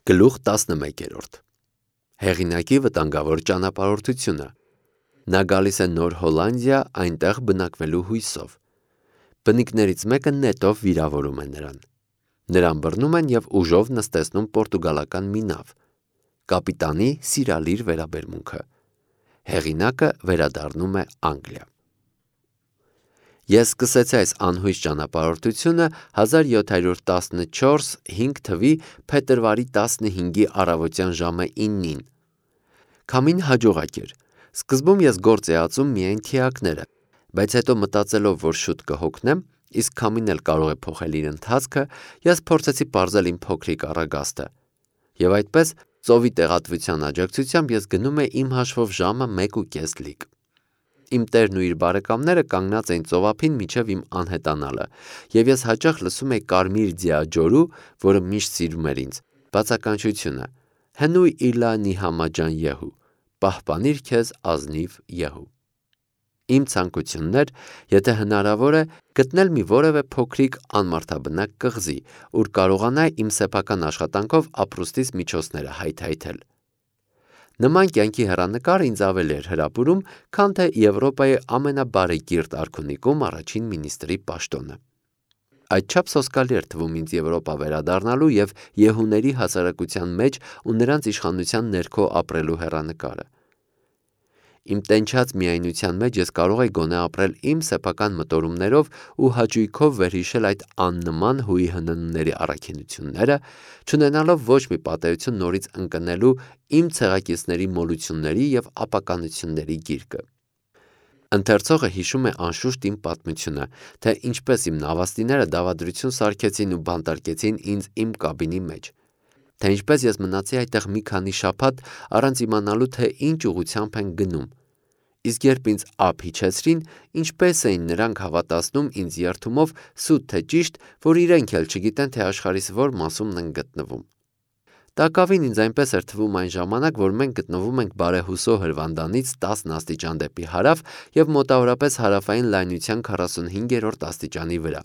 Գլուխ 11 Հեղինակի վտանգավոր ճանապարհորդությունը Նա գալիս է Նոր Հոլանդիա այնտեղ բնակվելու հույսով։ Բնիկներից մեկը նետով վիրավորում է նրան։ Նրան բռնում են և ուժով նստեցնում պորտուգալական մի նավ։ Կապիտանի սիրալիր վերաբերմունքը։ Հեղինակը վերադառնում է Անգլիա։ Ես սկսեցի այս անհույս ճանապարհորդությունը 1714 5 թվականի փետրվարի 15-ի առավոտյան ժամը 9-ին։ Քամին հաջողակ էր։ Սկզբում ես գործ էի ածում միայն թիակները, բայց հետո մտածելով, որ շուտ կհոգնեմ, իսկ քամին էլ կարող է փոխել իր ընթացքը, ես փորձեցի պարզել իմ փոքրիկ առագաստը։ Եվ այդպես, ծովի տեղատվության աջակցությամբ ես գնում էի իմ հաշվով ժամը 1.5 լիք։ Իմ տերն ու իր բարեկամները կանգնած էին ծովափին մինչև իմ անհետանալը, և ես հաճախ լսում էի կարմիր ձիա ջորու, որը միշտ սիրում էր ինձ, բացականչությունը. հնույ իլա նիհամաջան յեհու, պահպանիր քեզ ազնիվ յեհու։ Իմ ցանկությունն էր, եթե հնարավոր է, գտնել մի որևէ փոքրիկ անմարդաբնակ կղզի, ուր կարողանայի իմ սեփական աշխատանքով ապրուստիս միջոցները հայթայթել։ Նման կյանքի հեռանկարը ինձ ավելի էր հրապուրում, քան թե Եվրոպայի ամենաբարեկիրթ արքունիքում առաջին մինիստրի պաշտոնը։ Այդչափ սոսկալի էր թվում ինձ Եվրոպա վերադառնալու և յեհուների հասարակության մեջ ու նրանց իշխանության ներքո ապրելու հեռանկարը։ Իմ տենչած միայնության մեջ ես կարող էի գոնե ապրել իմ սեփական մտորումներով ու հաճույքով վերհիշել այդ աննման հույի հննների առաքինությունները, չունենալով ոչ մի պատեհություն նորից ընկնելու իմ ցեղակիցների մոլությունների և ապականությունների գիրկը։ Ընթերցողը հիշում է անշուշտ իմ պատմությունը, թե ինչպես իմ նավաստիները դավադրություն սարքեցին ու բանտարկեցին ինձ իմ կաբինի մեջ, թե ինչպես ես մնացի այդտեղ մի քանի շաբաթ առանց իմանալու, թե ինչ ուղղությամբ են գնում, իսկ երբ ինձ ափ իջեցրին, ինչպես էին նրանք հավատացնում ինձ երդումով սուտ թե ճիշտ, որ իրենք էլ չգիտեն, թե աշխարհիս որ մասումն են գտնվում։ Տակավին ինձ այնպես էր թվում այն ժամանակ, որ մենք գտնվում ենք Բարեհուսո հրվանդանից 10 աստիճան դեպի հարավ և մոտավորապես հարավային լայնության 45-րդ աստիճանի վրա։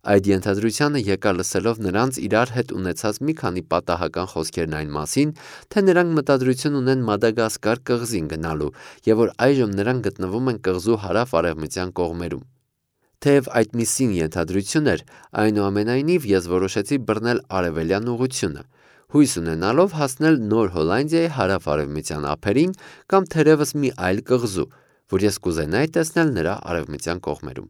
Այդ ենթադրությանը եկա լսելով նրանց իրար հետ ունեցած մի քանի պատահական խոսքերն այն մասին, թե նրանք մտադրություն ունեն Մադագասկար կղզին գնալու և որ այժմ նրանք գտնվում են կղզու հարավ-արևմտյան կողմերում։ Թեև այդ մի սին ենթադրություն էր, այնուամենայնիվ ես որոշեցի բռնել արևելյան ուղղությունը, հույս ունենալով հասնել Նոր Հոլանդիայի հարավ-արևմտյան ափերին կամ թերևս մի այլ կղզու, որ ես կուզենայի տեսնել նրա արևմտյան կողմերում։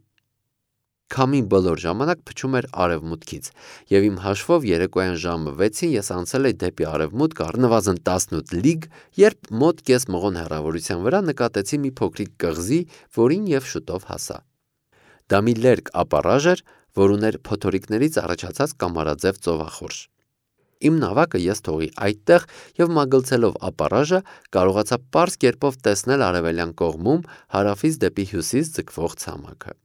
Քամին բոլոր ժամանակ փչում էր արևմուտքից, և իմ հաշվով երեկոյան ժամը 6-ին ես անցել էի դեպի արևմուտք առնվազն 18 լիգ, երբ մոտ կես մղոն հեռավորության վրա նկատեցի մի փոքրիկ կղզի, որին և շուտով հասա։ Դա մի լերկ ապառաժ էր, որ ուներ փոթորիկներից առաջացած կամարաձև ծովախորշ։ Իմ նավակը ես թողի այդտեղ և մագլցելով ապառաժը կարողացա պարզ կերպով տեսնել արևելյան կողմում հարավից դեպի հյուսիս ձգվող ցամաքը։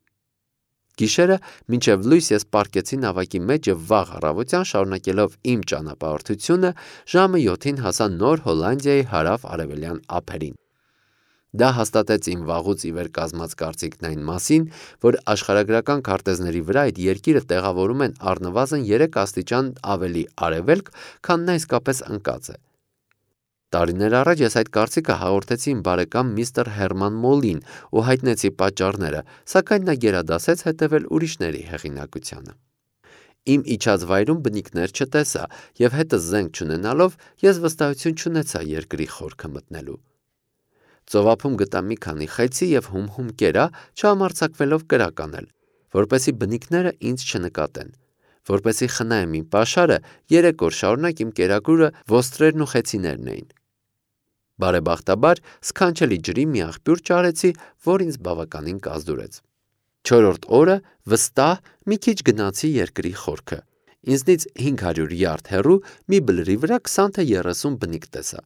Գիշերը մինչև լույս ես պառկեցի նավակի մեջ և վաղ առավոտյան շարունակելով իմ ճանապարհորդությունը ժամը 7-ին հասա Նոր Հոլանդիայի հարավ-արևելյան ափերին։ Դա հաստատեց իմ վաղուց ի վեր կազմած կարծիքն այն մասին, որ աշխարհագրական քարտեզների վրա այդ երկիրը տեղավորում են առնվազն 3 աստիճան ավելի արևելք, քան նա իսկապես ընկած է։ Տարիներ առաջ ես այդ կարծիքը հաղորդեցի իմ բարեկամ միստր Հերման Մոլին ու հայտնեցի պատճառները, սակայն նա գերադասեց հետևել ուրիշների հեղինակությանը։ Իմ իջած վայրում բնիկներ չտեսա և հետս զենք չունենալով ես վստահություն չունեցա երկրի խորքը մտնելու։ Ծովափում գտա մի քանի խեցի և հում-հում կերա, չհամարձակվելով կրակ անել, որպեսզի բնիկները ինձ չնկատեն։ Որպեսզի խնայեմ իմ պաշարը, 3 օր շարունակ իմ կերակուրը ոստրերն ու խեցիներն էին։ Բարեբախտաբար սքանչելի ջրի մի աղբյուր ճարեցի, որ ինձ բավականին կազդուրեց։ 4-րդ օրը վստահ մի քիչ գնացի երկրի խորքը։ Ինձնից 500 յարդ հեռու մի բլրի վրա 20 թե 30 բնիկ տեսա։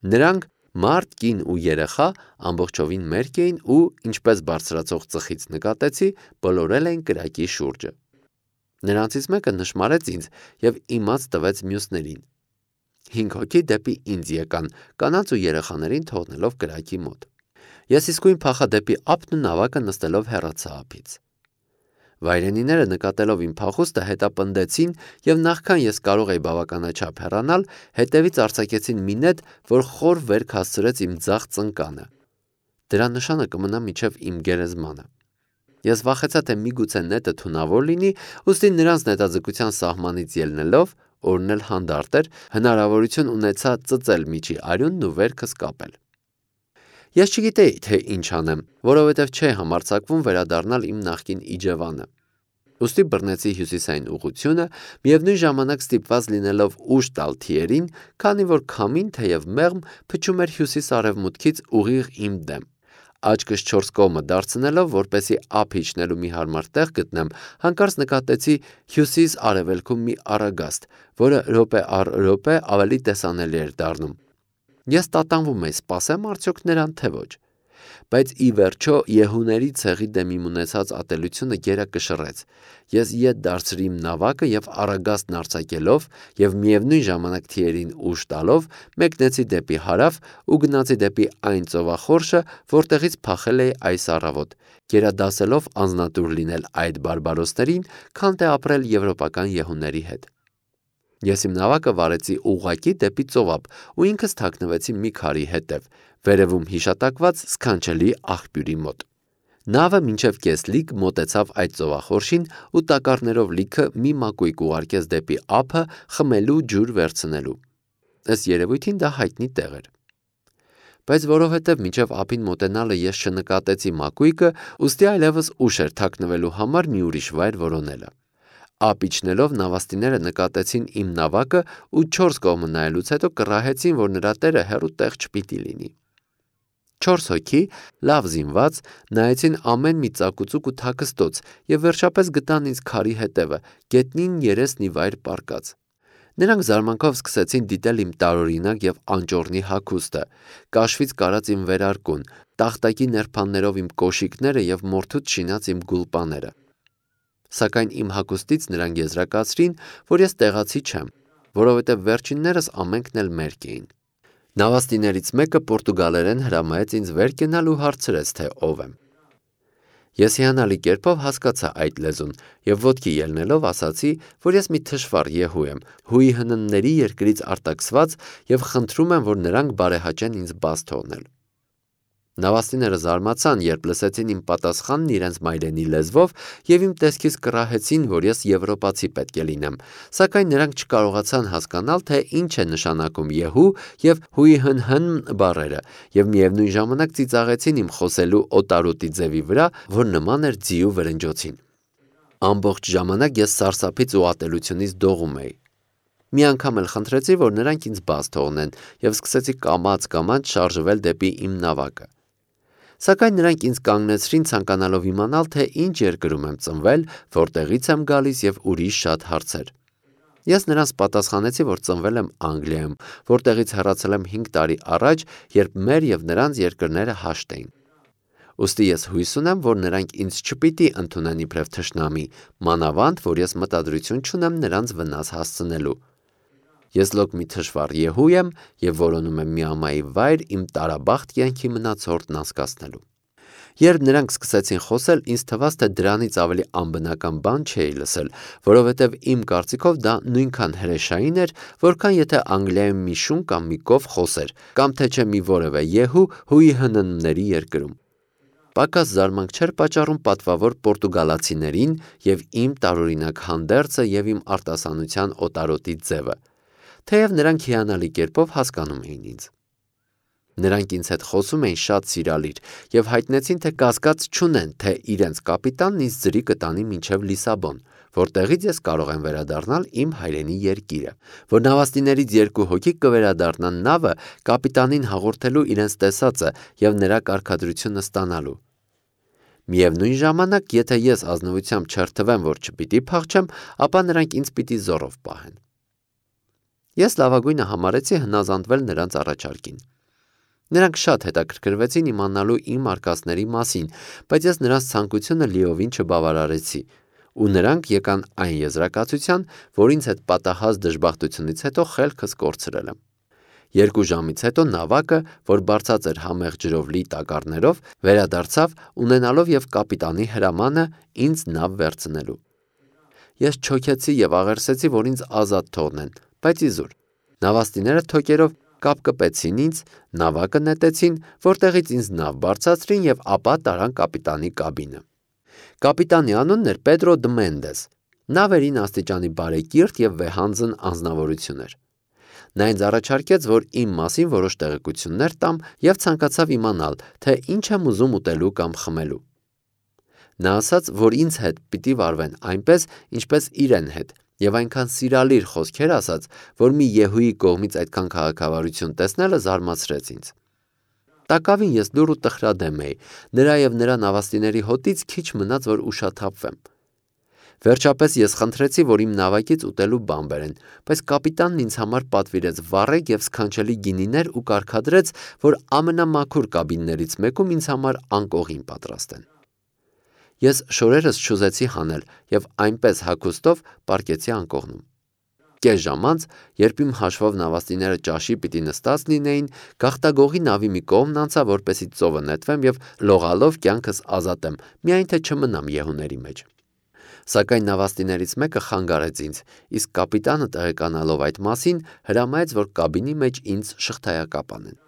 Նրանք մարդ, կին ու երեխա ամբողջովին մերկ էին ու, ինչպես բարձրացող ծխից նկատեցի, բոլորել էին կրակի շուրջը։ Նրանցից մեկը նշմարեց ինձ և իմաց տվեց մյուսներին։ 5 հոգի դեպի ինձ եկան, կանանց ու երեխաներին թողնելով կրակի մոտ։ Ես իսկույն փախա դեպի ափն ու նավակը նստելով հեռացա ափից։ Վայրենիները նկատելով իմ փախուստը հետապնդեցին և նախքան ես կարող էի բավականաչափ հեռանալ, հետևից արձակեցին մի նետ, որ խոր վերք հասցրեց իմ ձախ ծնկանը։ Դրա նշանը կմնա մինչև իմ գերեզմանը։ Ես վախեցա, թե միգուցե նետը թունավոր լինի, ուստի նրանց նետաձգության սահմանից ելնելով, օրն էլ հանդարտ էր, հնարավորություն ունեցա ծծել միջի արյունն ու վերքս կապել։ Ես չգիտեի, թե ինչ անեմ, որովհետև չէի համարձակվում վերադառնալ իմ նախկին Իջևանը։ Ուստի բռնեցի հյուսիսային ուղղությունը, միևնույն ժամանակ ստիպված լինելով ուժ տալ թիերին, քանի որ քամին, թեև մեղմ, փչում էր հյուսիս-արևմուտքից ուղիղ իմ դեմ։ Աչքս 4 կողմը դարձնելով, որպեսզի ափ իջնելու մի հարմար տեղ գտնեմ, հանկարծ նկատեցի հյուսիս-արևելքում մի առագաստ, որը րոպե առ րոպե ավելի տեսանելի էր դառնում։ Ես տատանվում էի, սպասեմ արդյոք նրան, թե ոչ։ Բայց ի վերջո Եհուների ցեղի դեմ իմ ունեցած ատելությունը գերա կշռեց։ Ես ետ դարձրի իմ նավակը և առագաստն արձակելով և միևնույն ժամանակ թիերին ուժ տալով մեկնեցի դեպի հարավ ու գնացի դեպի այն ծովախորշը, որտեղից փախել էի այս առավոտ, գերադասելով անձնատուր լինել այդ բարբարոսներին, քան թե ապրել եվրոպական եհուների հետ։ Ես իմ նավակը վարեցի ուղղակի դեպի ծովափ ու ինքս թաքնվեցի մի քարի հետև, վերևում հիշատակված սքանչելի աղբյուրի մոտ։ Նավը մինչև կես լիկ մոտեցավ այդ ծովախորշին ու տակառներով լիքը մի մակույկ ուղարկեց դեպի ափը խմելու ջուր վերցնելու։ Ըստ երևույթին դա հայտնի տեղ էր։ Բայց որովհետև մինչև ափին մոտենալը ես չնկատեցի մակույկը, ուստի այլևս ուշ էր թաքնվելու համար մի ուրիշ վայր որոնելը։ Ափ իջնելով նավաստիները նկատեցին իմ նավակը ու 4 կողմը նայելուց հետո կռահեցին, որ նրա տերը հեռու տեղ չպիտի լինի։ 4 հոգի, լավ զինված, նայեցին ամեն մի ծակուծուկ ու թաքստոց և վերջապես գտան ինձ քարի հետևը, գետնին երեսն ի վայր պառկած։ Նրանք զարմանքով սկսեցին դիտել իմ տարօրինակ և անճոռնի հագուստը, կաշվից կարած իմ վերարկուն, տախտակի նրբաններով իմ կոշիկները և մորթուց շինած իմ գուլպաները։ Սակայն իմ հագուստից նրանք եզրակացրին, որ ես տեղացի չեմ, որովհետև վերջիններս ամենքն էլ մերկ էին։ Նավաստիներից մեկը պորտուգալերեն հրամայեց ինձ վեր կենալ ու հարցրեց, թե ով եմ։ Ես հիանալի կերպով հասկացա այդ լեզուն և ոտքի ելնելով ասացի, որ ես մի թշվառ Եհու եմ, հույի հննների երկրից արտաքսված և խնդրում եմ, որ նրանք բարեհաճեն ինձ բաց թողնել։ Նավաստիները զարմացան, երբ լսեցին իմ պատասխանն իրենց մայրենի լեզվով և իմ տեսքից կռահեցին, որ ես եվրոպացի պետք է լինեմ, սակայն նրանք չկարողացան հասկանալ, թե ինչ է նշանակում Եհու և հույհնհն բառերը և միևնույն ժամանակ ծիծաղեցին իմ խոսելու օտարոտի ձևի վրա, որ նման էր ձիու վրնջոցին։ Ամբողջ ժամանակ ես սարսափից ու ատելությունից դողում էի։ Մի անգամ էլ խնդրեցի, որ նրանք ինձ բաց թողնեն և սկսեցի կամաց շարժվել դեպի իմ նավակը։ Սակայն նրանք ինձ կանգնեցրին ցանկանալով իմանալ, թե ինչ երկրում եմ ծնվել, որտեղից եմ գալիս և ուրիշ շատ հարցեր։ Ես նրանց պատասխանեցի, որ ծնվել եմ Անգլիայում, որտեղից հեռացել եմ 5 տարի առաջ, երբ մեր և նրանց երկրները հաշտ էին։ Ուստի ես հույս ունեմ, որ նրանք ինձ չպիտի ընդունեն իբրև թշնամի, մանավանդ, որ ես մտադրություն չունեմ նրանց վնաս հասցնելու։ Ես լոկ մի թշվառ Եհու եմ և որոնում եմ մի ամայի վայր իմ տարաբախտ կյանքի մնացորդն անցկացնելու։ Երբ նրանք սկսեցին խոսել, ինձ թվաց, թե դրանից ավելի անբնական բան չէի լսել, որովհետև իմ կարծիքով դա նույնքան հրեշային էր, որքան եթե Անգլիայում մի շուն կամ մի կով խոսեր, կամ թե չէ մի որևէ Եհու հույհննների երկրում։ Պակաս զարմանք չէր պատճառում պատվավոր պորտուգալացիներին և իմ տարօրինակ հանդերձը և իմ արտասանության օտարոտի ձևը, թեև նրանք հիանալի կերպով հասկանում էին ինձ։ Նրանք ինձ հետ խոսում էին շատ սիրալիր և հայտնեցին, թե կասկած չունեն, թե իրենց կապիտանն ինձ ձրի կտանի մինչև Լիսաբոն, որտեղից ես կարող եմ վերադառնալ իմ հայրենի երկիրը, որ նավաստիներից 2 հոգի կվերադառնան նավը կապիտանին հաղորդելու իրենց տեսածը և նրա կարգադրությունը ստանալու։ Միևնույն ժամանակ, եթե ես ազնվությամբ չերթվեմ, որ չպիտի փախչեմ, ապա նրանք ինձ պիտի զոռով պահեն։ Ես լավագույնը համարեցի հնազանդվել նրանց առաջարկին։ Նրանք շատ հետաքրքրվեցին իմանալու իմ արկածների մասին, բայց ես նրանց ցանկությունը լիովին չբավարարեցի, ու նրանք եկան այն եզրակացության, որ ինձ հետ պատահած դժբախտությունից հետո խելքս կորցրել եմ։ 2 ժամից հետո նավակը, որ բարձած էր համեղ ջրով լի տակառներով, վերադարձավ, ունենալով եւ կապիտանի հրամանը ինձ նավ վերցնելու։ Ես չոքեցի եւ աղերսեցի, որ ինձ ազատ թողնեն, բայց իզուր։ Նավաստիները թոկերով կապկպեցին ինձ, նավակը նետեցին, որտեղից ինձ նավ բարձրացրին եւ ապա տարան կապիտանի կաբինը։ Կապիտանի անունն էր Պեդրո Դը Մենդես։ Նա վերին աստիճանի բարեկիրթ եւ վեհանձն անձնավորություն էր։ Նա ինձ առաջարկեց, որ իմ մասին որոշ տեղեկություններ տամ եւ ցանկացավ իմանալ, թե ինչ եմ ուզում ուտելու կամ խմելու։ Նա ասաց, որ ինձ հետ պիտի վարվեն այնպես, ինչպես իրեն հետ, եւ այնքան սիրալիր խոսքեր ասաց, որ մի եհուի կողմից այդքան քաղաքավարություն տեսնելը զարմացրեց ինձ։ Տակավին ես լուռ ու տխրադեմ էի, նրա եւ նրա նավաստիների հոտից քիչ մնաց, որ ուշաթափվեմ։ Վերջապես ես խնդրեցի, որ իմ նավակից ուտելու բան բերեն, բայց կապիտանն ինձ համար պատվիրեց վառեկ եւ սքանչելի գինիներ ու կարգադրեց, որ ամենամաքուր կաբիններից մեկում ինձ համար անկողին պատրաստեն։ Ես շորերս չուզեցի հանել եւ այնպես հագուստով պառկեցի անկողնում։ Կես ժամ անց, երբ իմ հաշվով նավաստիները ճաշի պիտի նստած լինեին, գաղտագողի նավի մի կողմն անցա, որպեսզի ծովը նետվեմ եւ լողալով կյանքս ազատեմ, միայն թե չմնամ եհուների մեջ։ Սակայն նավաստիներից մեկը խանգարեց ինձ, իսկ կապիտանը տեղեկանալով այդ մասին, հրամայեց, որ կաբինի մեջ ինձ շղթայակապ անեն։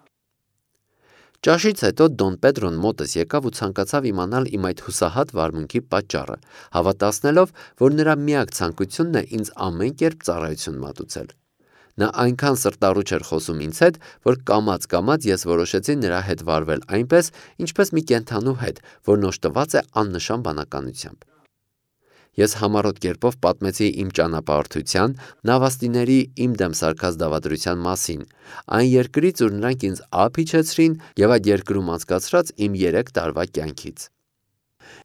Ճաշից հետո Դոն Պեդրոն մոտս եկավ ու ցանկացավ իմանալ իմ այդ հուսահատ վարմունքի պատճառը, հավատացնելով, որ նրա միակ ցանկությունն է ինձ ամեն կերպ ծառայություն մատուցել։ Նա այնքան սրտառուչ էր խոսում ինձ հետ, որ կամաց ես որոշեցի նրա հետ վարվել այնպես, ինչպես մի կենդանու հետ, որն օժտված է աննշան բանականությամբ։ Ես համառոտ կերպով պատմեցի իմ ճանապարհորդության, նավաստիների իմ դեմ սարքած դավադրության մասին, այն երկրից, ուր նրանք ինձ ափ իջեցրին եւ այդ երկրում անցկացրած իմ 3 տարվա կյանքից։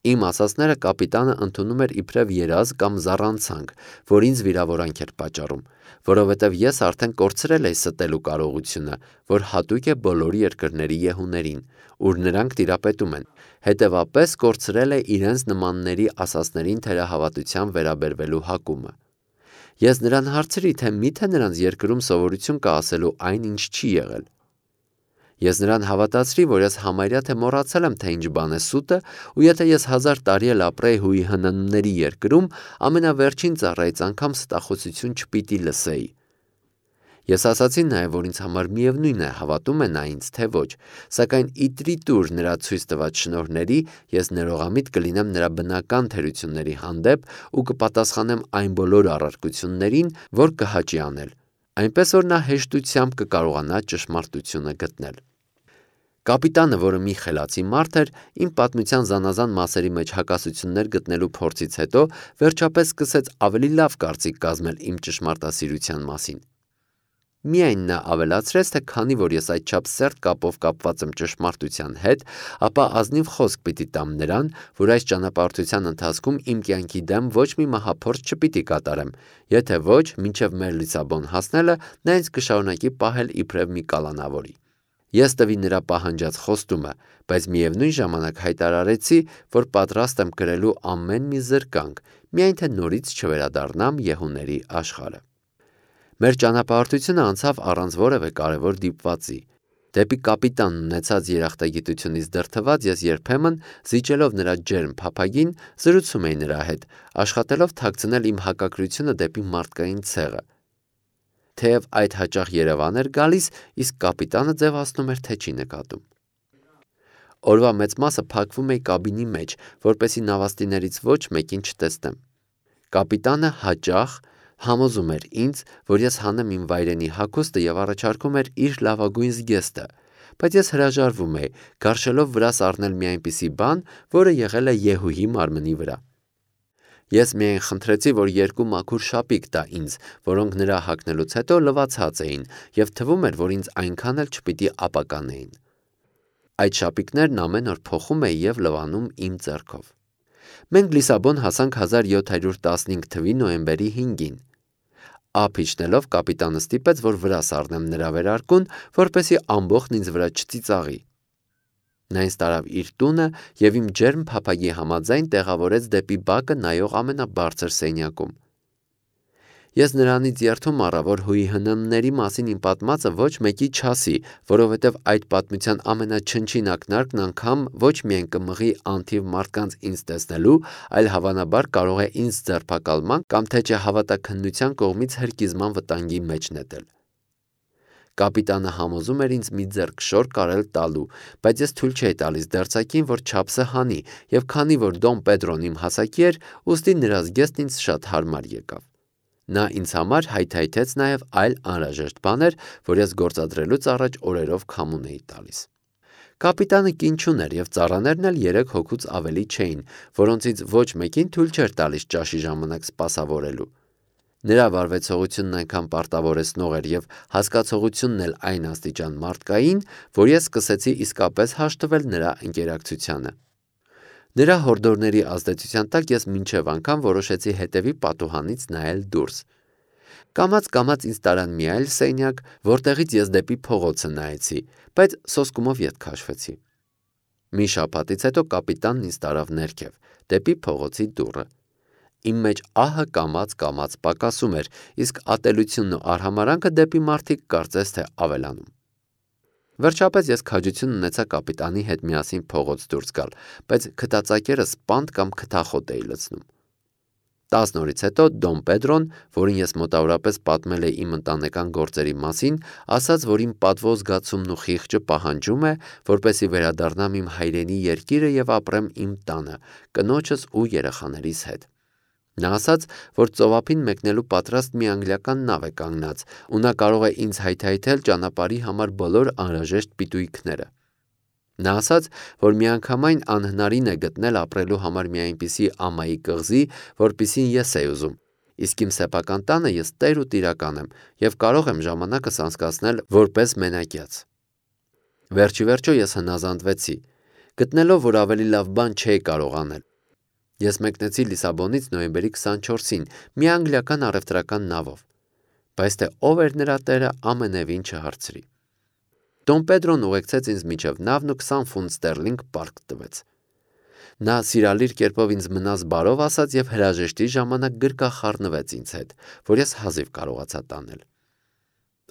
Իմ ասածները կապիտանը ընդունում էր իբրև երազ կամ զառանցանք, որ ինձ վիրավորանք էր պատճառում, որովհետև ես արդեն կորցրել էի ստելու կարողությունը, որ հատուկ է բոլոր երկրների եհուներին, ուր նրանք տիրապետում են, հետևապես կորցրել է իրենց նմանների ասածներին թերահավատության վերաբերվելու հակումը։ Ես նրան հարցրի, թե միթե նրանց երկրում սովորություն կա ասելու այն, ինչ չի եղել։ Ես նրան հավատացրի, որ ես համարյա թե մոռացել եմ, թե ինչ բան է սուտը, ու եթե ես 1000 տարի էլ ապրեի հույի հնանների երկրում, ամենավերջին ծառայից անգամ ստախոսություն չպիտի լսեի։ Ես ասացի նաև, որ ինձ համար միևնույն է, հավատում է նա ինձ, թե ոչ, սակայն իտրի տուր նրա ցույց տված շնորհների, ես ներողամիտ կլինեմ նրա բնական թերությունների հանդեպ ու կպատասխանեմ այն բոլոր առարկություններին, որ կհաճի անել, այնպես որ նա հեշտությամբ կկարողանա ճշմարտությունը գտնել։ Կապիտանը, որը մի խելացի մարդ էր, իմ պատմության զանազան մասերի մեջ հակասություններ գտնելու փորձից հետո վերջապես սկսեց ավելի լավ կարծիք կազմել իմ ճշմարտասիրության մասին։ Միայն նա ավելացրեց, թե քանի որ ես այդչափ սերտ կապով կապված եմ ճշմարտության հետ, ապա ազնիվ խոսք պիտի տամ նրան, որ այս ճանապարհորդության ընթացքում իմ կյանքի դեմ ոչ մի մահափորձ չպիտի կատարեմ, եթե ոչ, մինչև մեր Լիսաբոն հասնելը նա ինձ կշարունակի պահել իբրև մի կալանավորի։ Ես տվի նրա պահանջած խոստումը, բայց միևնույն ժամանակ հայտարարեցի, որ պատրաստ եմ կրելու ամեն մի զրկանք, միայն թե նորից չվերադառնամ եհուների աշխարհը։ Մեր ճանապարհորդությունը անցավ առանց որևէ կարևոր դիպվածի։ Դեպի կապիտանն ունեցած երախտագիտությունից դրդված ես երբեմն, զիջելով նրա ջերմ փափագին, զրուցում էի նրա հետ, աշխատելով թաքցնել իմ հակակրությունը դեպի մարդկային ցեղը։ Թեև այդ հաճախ Երևան էր գալիս, իսկ կապիտանը ձևացնում էր, թե չի նկատում։ Օրվա մեծ մասը փակվում էի կաբինի մեջ, որպեսզի նավաստիներից ոչ մեկին չտեսնեմ։ Կապիտանը հաճախ համոզում էր ինձ, որ ես հանեմ իմ վայրենի հագուստը եւ առաջարկում էր իր լավագույն զգեստը, բայց ես հրաժարվում էի, գարշելով վրաս առնել մի այնպիսի բան, որը եղել է եհուհի մարմնի վրա։ Ես միայն խնդրեցի, որ 2 մաքուր շապիկ տա ինձ, որոնք նրա հագնելուց հետո լվացած էին, եւ թվում էր, որ ինձ այնքան էլ չպիտի ապականեին։ Այդ շապիկներն ամեն օր փոխում էի եւ լվանում իմ ձեռքով։ Մենք Լիսաբոն հասանք 1715 թվականի նոյեմբերի 5-ին։ Ափ իջնելով կապիտանը ստիպեց, որ վրաս առնեմ նրա վերարկուն, որպեսզի ամբողջն ինձ վրա չծիծաղի։ Նա ինձ տարավ իր տունը եւ իմ ջերմ փափագի համաձայն տեղավորեց դեպի բակը նայող ամենաբարձր սենյակում։ Ես նրանից երդում առա, որ ՀՀՆ-ների մասին իմ պատմածը ոչ մեկի չասի, որովհետև այդ պատմության ամենաչնչին ակնարկն անգամ ոչ միայն կմղի անթիվ մարդկանց ինձ տեսնելու, այլ հավանաբար կարող է ինձ ձերբակալման կամ թե չէ հավատաքննության կողմից հրկիզման վտանգի մեջ նետել։ Կապիտանը համոզում էր ինձ մի ձեռք շոր կարել տալու, բայց ես թույլ չէի տալիս դերձակին, որ չափսը հանի, եւ քանի որ Դոն Պեդրոն իմ հասակի էր, ուստի նրա զգեստն ինձ շատ հարմար եկավ։ Նա ինձ համար հայթայթեց նաև այլ անհրաժեշտ բաներ, որ ես գործադրելուց առաջ օրերով քամուն էի տալիս։ Կապիտանը կին չուներ եւ ծառաներն էլ 3 հոգուց ավելի չէին, որոնցից ոչ մեկին թույլ չէր տալիս ճաշի ժամանակ սպասավորելու։ Նրա վարվեցողությունն այնքան պարտավորեցնող էր եւ հասկացողությունն էլ այն աստիճան մարդկային, որ ես սկսեցի իսկապես հաշտվել նրա ընկերակցությանը։ Նրա հորդորների ազդեցության տակ ես մինչև անգամ որոշեցի հետևի պատուհանից նայել դուրս։ Կամաց ինձ տարան մի այլ սենյակ, որտեղից ես դեպի փողոցը նայեցի, բայց սոսկումով ետ քաշվեցի։ Մի շաբաթից հետո կապիտանն ինձ տարավ ներքև, դեպի փողոցի դուռը։ Իմ մեջ ահը կամաց պակասում էր, իսկ ատելությունն ու արհամարանքը դեպի մարդիկ կարծես թե ավելանում։ Վերջապես ես քաջություն ունեցա կապիտանի հետ միասին փողոց դուրս գալ, բայց քթածակերս սպանդ կամ քթախոտ էի լցնում։ 10 օրից հետո Դոն Պեդրոն, որին ես մոտավորապես պատմել էի իմ ընտանեկան գործերի մասին, ասաց, որ իմ պատվո զգացումն ու խիղճը պահանջում է, որպեսզի վերադառնամ իմ հայրենի երկիրը եւ ապրեմ իմ տանը, կնոջս ու երեխաներիս հետ։ Նա ասաց, որ ծովափին մեկնելու պատրաստ մի անգլիական նավ է կանգնած, ու նա կարող է ինձ հայթայթել ճանապարհի համար բոլոր անհրաժեշտ պիտույքները։ Նա ասաց, որ միանգամայն անհնարին է գտնել ապրելու համար մի այնպիսի ամայի կղզի, որպիսին ես էի ուզում, իսկ իմ սեփական տանը ես տեր ու տիրական եմ եւ կարող եմ ժամանակս անցկացնել որպես մենակյաց։ Վերջիվերջո ես հնազանդվեցի, գտնելով, որ ավելի լավ բան չէի կարող անել։ Ես մեկնեցի Լիսաբոնից նոյեմբերի 24-ին մի անգլիական առևտրական նավով, բայց թե ով էր նրա տերը ամենևին չհարցրի։ Դոն Պեդրոն ուղեկցեց ինձ մինչև նավն ու 20 ֆունտ ստերլինգ պարկ տվեց։ Նա սիրալիր կերպով ինձ մնաս բարով ասաց եւ հրաժեշտի ժամանակ գրկախառնվեց ինձ հետ, որ ես հազիվ կարողացա տանել։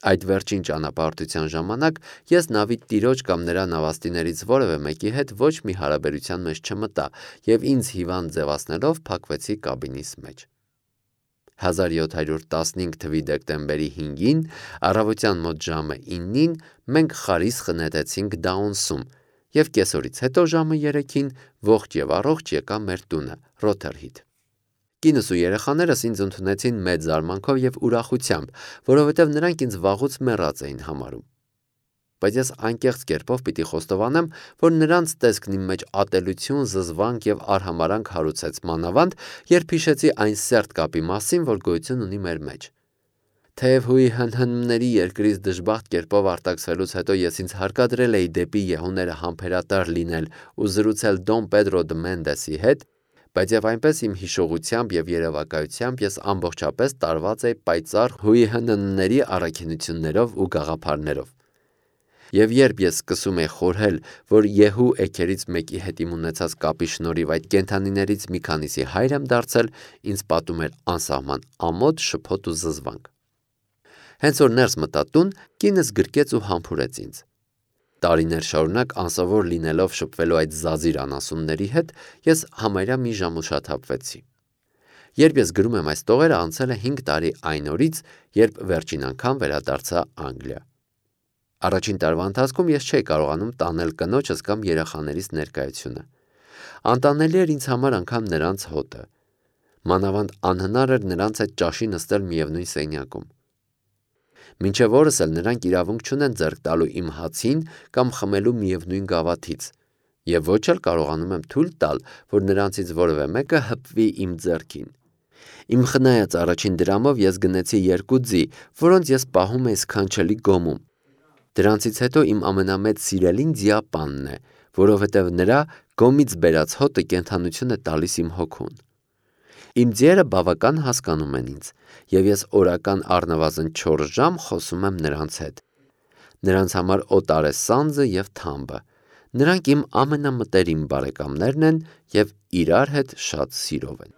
Այդ վերջին ճանապարհորդության ժամանակ ես նավի տիրոջ կամ նրա նավաստիներից որևէ մեկի հետ ոչ մի հարաբերության մեջ չմտա եւ ինձ հիվանդ ձևացնելով փակվեցի կաբինիս մեջ։ 1715 թվականի դեկտեմբերի 5-ին առավոտյան մոտ ժամը 9-ին մենք խարիսխ նետեցինք Դաունսում եւ կեսօրից հետո ժամը 3-ին ողջ եւ առողջ եկա մեր տունը Ռոթերհիթ։ Կինս ու երեխաներս ինձ ընդունեցին մեծ զարմանքով եւ ուրախությամբ, որովհետեւ նրանք ինձ վաղուց մեռած էին համարում։ Բայց ես անկեղծ կերպով պիտի խոստովանեմ, որ նրանց տեսքն իմ մեջ ատելություն, զզվանք եւ արհամարանք հարուցեց մանավանդ, երբ հիշեցի այն սերտ կապի մասին, որ գոյություն ունի մեր մեջ։ Թեև ՀՀՆ-ների երկրից դժբախտ կերպով արտաքսվելուց հետո ես ինձ հարկադրել էի դեպի եղուները համբերատար լինել ու զրուցել Դոն Պեդրո դե Մենդեսի հետ, բայց եւ այնպես իմ հիշողությամբ եւ երևակայությամբ ես ամբողջապես տարված էի պայծառ ՀՀՆ-ների առաքինություններով ու գաղափարներով։ Եվ երբ ես սկսում էի խորհել, որ Եհու էգերից մեկի հետ իմ ունեցած կապի շնորհիվ այդ կենդանիներից մի քանիսի հայր եմ դարձել, ինձ պատում էր անսահման ամոթ, շփոթ ու զզվանք։ Հենց որ ներս մտա տուն, կինս գրկեց ու համբուրեց ինձ։ Տարիներ շարունակ անսովոր լինելով շփվելու այդ զազիր անասունների հետ, ես համարյա մի ժամ ուշաթափվեցի։ Երբ ես գրում եմ այս տողերը, անցել է 5 տարի այն օրից, երբ վերջին անգամ վերադարձա Անգլիա։ Առաջին տարվա ընթացքում ես չէի կարողանում տանել կնոջս կամ երեխաներիս ներկայությունը։ Անտանելի էր ինձ համար անգամ նրանց հոտը։ Մանավանդ անհնար էր նրանց հետ ճաշի նստել միևնույն սենյակում։ Մինչև օրս էլ նրանք իրավունք չունեն ձեռք տալու իմ հացին կամ խմելու միևնույն գավաթից, եւ ոչ էլ կարողանում եմ թույլ տալ, որ նրանցից որևէ մեկը հպվի իմ ձեռքին։ Իմ խնայած առաջին դրամով ես գնեցի 2 ձի, որոնց ես պահում էի սքանչելի գոմում։ Դրանցից հետո իմ ամենամեծ սիրելին ձիապանն է, որովհետև նրա գոմից բերած հոտը կենդանություն է տալիս իմ հոգուն։ Իմ ձիերը բավական հասկանում են ինձ, եւ ես օրական առնվազն 4 ժամ խոսում եմ նրանց հետ։ Նրանց համար օտար է սանձը եւ թամբը։ Նրանք իմ ամենամտերիմ բարեկամներն են եւ իրար հետ շատ սիրով են։